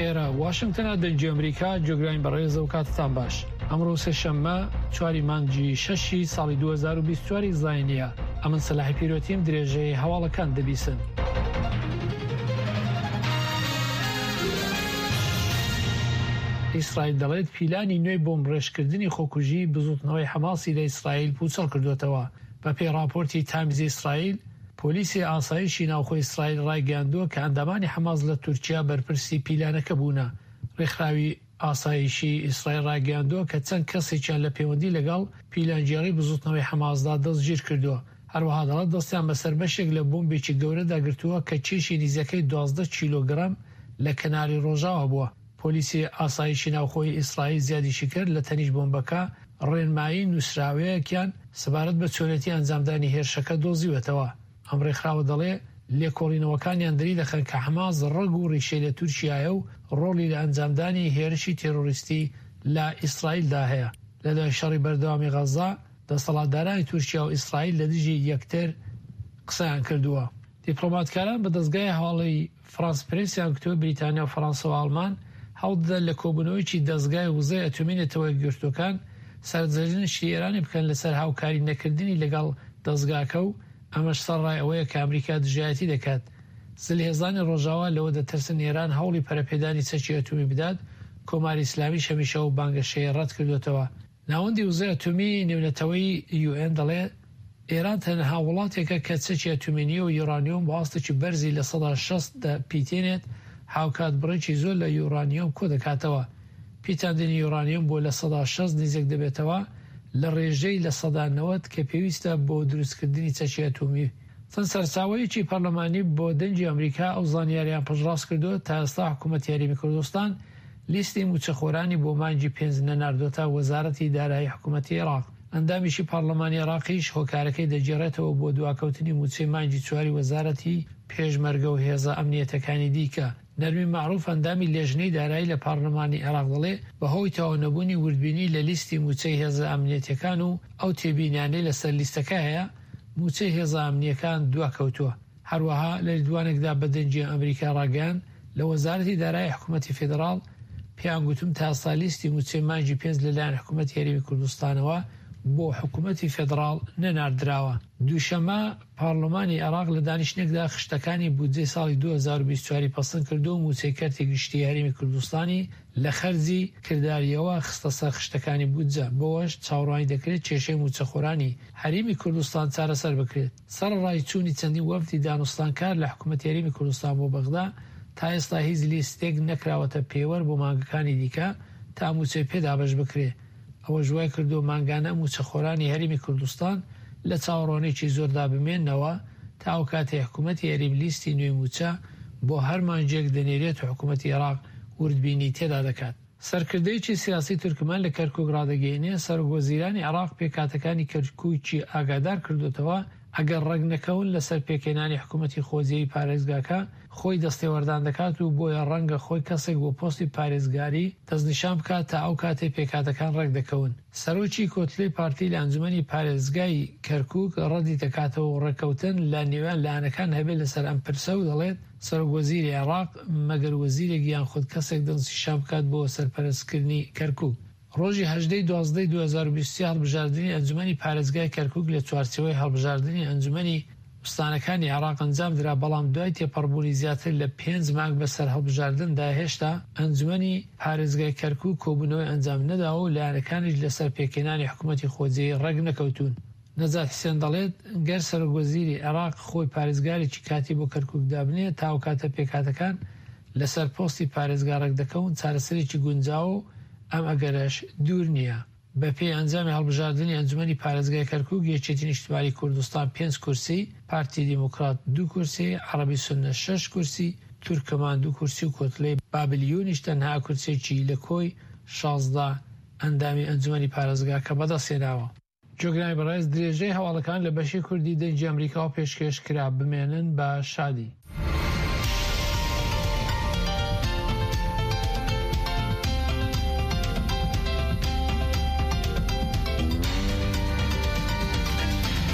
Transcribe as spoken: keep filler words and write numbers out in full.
ئێرە واشنگتنە، دەنگی ئەمریکا. گوێگرانی بەڕێز و کاتتان باش. ئەمڕۆ سێشەممە چواری مانگی شەشی ساڵی دوو هەزار و بیست و چوار زاینیە. ئەمن سەلاحی پیرۆتیم، درێژەی هەواڵەکان دەبیسن. ئیسرائیل دەڵێت پیلانی نوێی بۆمبڕێژکردنی خۆکوژی بزوتنەوەی حەماسی لە ئیسرائیل پوچەڵ کردوێتەوە. بەپێی راپۆرتی تایمزی ئیسرائیل، پۆلیسی ئاسایشی ناوخۆی ئیسرائیل ڕایگەیاندووە کە ئەندامانی حەماس لە تورکیا بەرپرسی پیلانەکە بوونە. ڕێکخراوی ئاسایشی ئیسرائیل ڕایگەیاندووە کە چەند کەسێکیان لە پەیوەندی لەگەڵ پیلانگێڕی بزوتنەوەی حەماسدا دەستگیر کردووە. هەروەها دەڵێت دەستیان بەسەر بەشێک لە بۆمبێکی گەورەدا گرتووە کە کێشی نزیکەی دوازدە کیلۆگرام لە کەناری ڕۆژاوا بووە. پۆلیسی ئاسایشی ناوخۆی ئیسرائیل زیادیشی کرد لە تەنیشت بۆمبەکە ڕێنمایی نووسراوەیەکیان سەبارەت بە چۆنێتی ئەنجامدانی هێرشەکە دۆزیوەتەوە. ئەم ڕێکخراوە دەڵێ لێکۆڵینەوەکانیان دەری دەخەن کە حەماس ڕەگ و ڕیشەی لە تورکیایە و ڕۆڵی لە ئەنجامدانی هێرشی تێرۆریستی لە ئیسرائیلدا هەیە. لە دوای شەڕی بەردەوامی غەزە، دەسەڵاتدارانی تورکیا و ئیسرائیل لە دژی یەکتر قسەیان کردووە. دیپلۆماتکاران بە دەستگای هەواڵی فرانس پرێسیان گوتووە بریتانیا و فەرەنسا و ئاڵمان هەوڵدەدەن لە کۆبوونەوەیەکی دەستگای وزەی ئەتۆمی نەتەوە یەکگرتووەکان سەرزەنشتی ئێرانی بکەن لەسەر هاوکاری نەکردنی لەگەڵ دەستگاکە و ئەمەش سەرڕای ئەوەیە کە ئەمریکا دژایەتی دەکات. زلهێزانی ڕۆژاوا لەوە دەترسن ئێران هەوڵی پەرەپێدانی چەکی ئەتۆمی بدات، کۆماری ئیسلامیش هەمیشە ئەو بانگەشەیە ڕەت کردوێتەوە. ناوەندی وزەی ئەتۆمی نێونەتەوەیی یو ئێن دەڵێ ئێران تەنها وڵاتێکە کە چەکی ئەتۆمی نییە و یۆرانیۆم بۆ ئاستێکی بەرزی لە سەدا شەست دەپیتێنێت، هاوکات بڕێکی زۆر لە یۆرانیۆم کۆ دەکاتەوە. پیتاندنی یۆرانیۆم بۆ لە سەدا شەست نزیک دەبێتەوە لە ڕێژەی لە سەدا نەوەد کە پێویستە بۆ دروستکردنی چەکی ئەتۆمی. چەند سەرچاوەیەکی پەرلەمانی بۆ دەنگی ئەمریکا ئەو زانیاریان پشتڕاست کردووە تا ئێستا حکوومەتی هەرێمی کوردستان لیستی مووچەخۆرانی بۆ مانگی پێنج نەناردۆتە وەزارەتی دارایی حکوومەتی عێراق. ئەندامیشی پەرلەمانی عێراقیش هۆکارەکەی دەگێڕێتەوە بۆ دواکەوتنی مووچەی مانگی چواری وەزارەتی پێشمەرگە و هێزە ئەمنیەتەکانی دیکە. نەرمی مەعروف ئەندامی لێژنەی دارایی لە پەرلەمانی عێراق دەڵێ بەهۆی تەواو نەبوونی وردبینی لە لیستی مووچەی هێزە ئەمنیەتەکان و ئەو تێبینیانەی لەسەر لیستەکە هەیە، مووچەی هێزە ئەمنیەکان دواکەوتووە. هەروەها لە لێدوانێکدا بە دەنگی ئەمریکا ڕاگەیاند لە وەزارەتی دارایی حکوومەتی فیدراڵ پێیان گوتم تا ئێستا لیستی مووچەی مانگی پێنج لەلایەن حکوومەتی هەرێمی کوردستانەوە بۆ حکوومەتی فیدراڵ نەناردراوە. دووشەممە پارلمانی عێراق لە دانیشتنێکدا خشتەکانی بودجەی ساڵی دوو هەزار و بیست و چوار پەسەند کردو و مووچەی کەرتی گشتی هەرێمی کوردستانی لە خەرجی کرداریەوە خستە سەر خشتەکانی بودجە، بەوەش چاوەڕوانی دەکرێت کێشەی مووچەخۆرانی هەرێمی کوردستان چارەسەر بکرێت. سەرەڕای چوونی چەندین وەفدی دانوستانکار لە حکوومەتی هەرێمی کوردستان بۆ بەغدا، تا ئێستا هیچ لیستێک نەکراوەتە پێوەر بۆ مانگەکانی دیکە تا مووچەی پێدابەش بکرێت. ئەوەش وای کردو مانگانە مووچەخۆرانی هەرێمی کوردستان لە چاوەڕوانێکی زۆردا بمێنەوە تا ئەو کاتەی حکوومەتی هەرێم لیستی نوێی مووچە بۆ هەر مانگێک دەنێرێت و حکوومەتی عێراق وردبینی تێدا دەکات. سەرکردەیەکی سیاسی تورکمان لە کەرکوک ڕادەگەیەنێ سەرۆک وەزیرانی عێراق پێکهاتەکانی کەرکوکی ئاگادار کردوتەوە ئەگەر ڕێک نەکەون لەسەر پێکهێنانی حکوومەتی خۆجێی پارێزگاکە خۆی دەستێوەردان دەکات و بۆیە ڕەنگە خۆی کەسێک بۆ پۆستی پارێزگاری دەستنیشان بکات تا ئەو کاتەی پێکهاتەکان ڕێک دەکەون. سەرۆکی کۆتلەی پارتی لە ئەنجومەنی پارێزگای کەرکوک ڕەدی دەکاتەوە و ڕێککەوتن لە نێوان لایەنەکان هەبێت لەسەر ئەم پرسە و دەڵێت سەرۆک وەزیری عێراق مەگەر وەزیرێک یان خود کەسێک دەستنیشان بکات بۆ سەرپەرستکردنی کەرکوک. ڕۆژی هەژدەی دوازدەی دوو هەزار و بیست و سێ هەڵبژاردنی ئەنجومەنی پارێزگای کەرکوک لە چوارچێوەی هەڵبژاردنی ئەنجومەنی ئوستانەکانی عێراق ئەنجامدرا، بەڵام دوای تێپەڕبوونی زیاتر لە پێنج مانگ بەسەر هەڵبژاردندا هێشتا ئەنجومەنی پارێزگای کەرکوک کۆبوونەوەی ئەنجام نەداوە و لایەنەکانیش لەسەر پێکهێنانی حکوومەتی خۆجێی ڕێک نەکەوتوون. نەجات حسێن دەڵێت گەر سەرۆک وەزیری عێراق خۆی پارێزگارێکی کاتی بۆ کەرکوک دابنێ تا ئەو کاتە پێکهاتەکان لەسەر پۆستی پارێزگا ڕێک دەکەون چارەسەرێکی گونجاوە و ئەم ئەگەرەش دوور نییە. بەپێی ئەنجامی هەڵبژاردنی ئەنجومەنی پارێزگای کەرکوک یەکێتی نیشتمانی کوردستان پێنج کورسی، پارتی دیموکرات دوو کورسی، عەرەبی سوننە شەش کورسی، تورکمان دوو کورسی و کۆتلەی بابلیونیش تەنها کورسێکی لە کۆی شازدە ئەندامی ئەنجومەنی پارێزگاکە بەدەستهێناوە. گوێگرانی بەڕێز درێژەی هەواڵەکان لە بەشی کوردی دەنگی ئەمریکاوە پێشکێش کرا. بمێنن بە شادی.